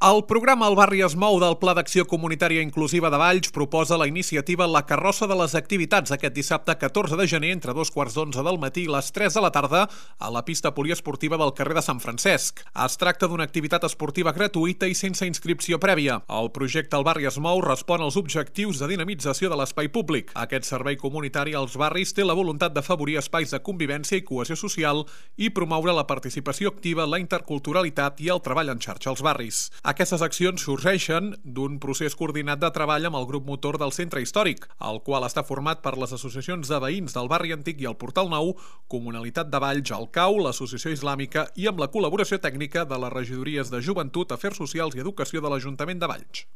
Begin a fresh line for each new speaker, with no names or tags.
El programa El barri es mou del Pla d'Acció Comunitària Inclusiva de Valls proposa la iniciativa La Carrossa de les Activitats aquest dissabte 14 de gener entre 2:15 del matí i les 3 de la tarda a la pista poliesportiva del carrer de Sant Francesc. Es tracta d'una activitat esportiva gratuïta i sense inscripció prèvia. El projecte El barri es mou respon als objectius de dinamització de l'espai públic. Aquest servei comunitari als barris té la voluntat d'afavorir espais de convivència i cohesió social i promoure la participació activa, la interculturalitat i el treball en xarxa als barris. Aquestes accions sorgeixen d'un procés coordinat de treball amb el grup motor del centre històric, el qual està format per les associacions de veïns del barri antic i el Portal Nou, Comunalitat de Valls, el CAU, l'Associació Islàmica i amb la col·laboració tècnica de les regidories de Joventut, Afers Socials i Educació de l'Ajuntament de Valls.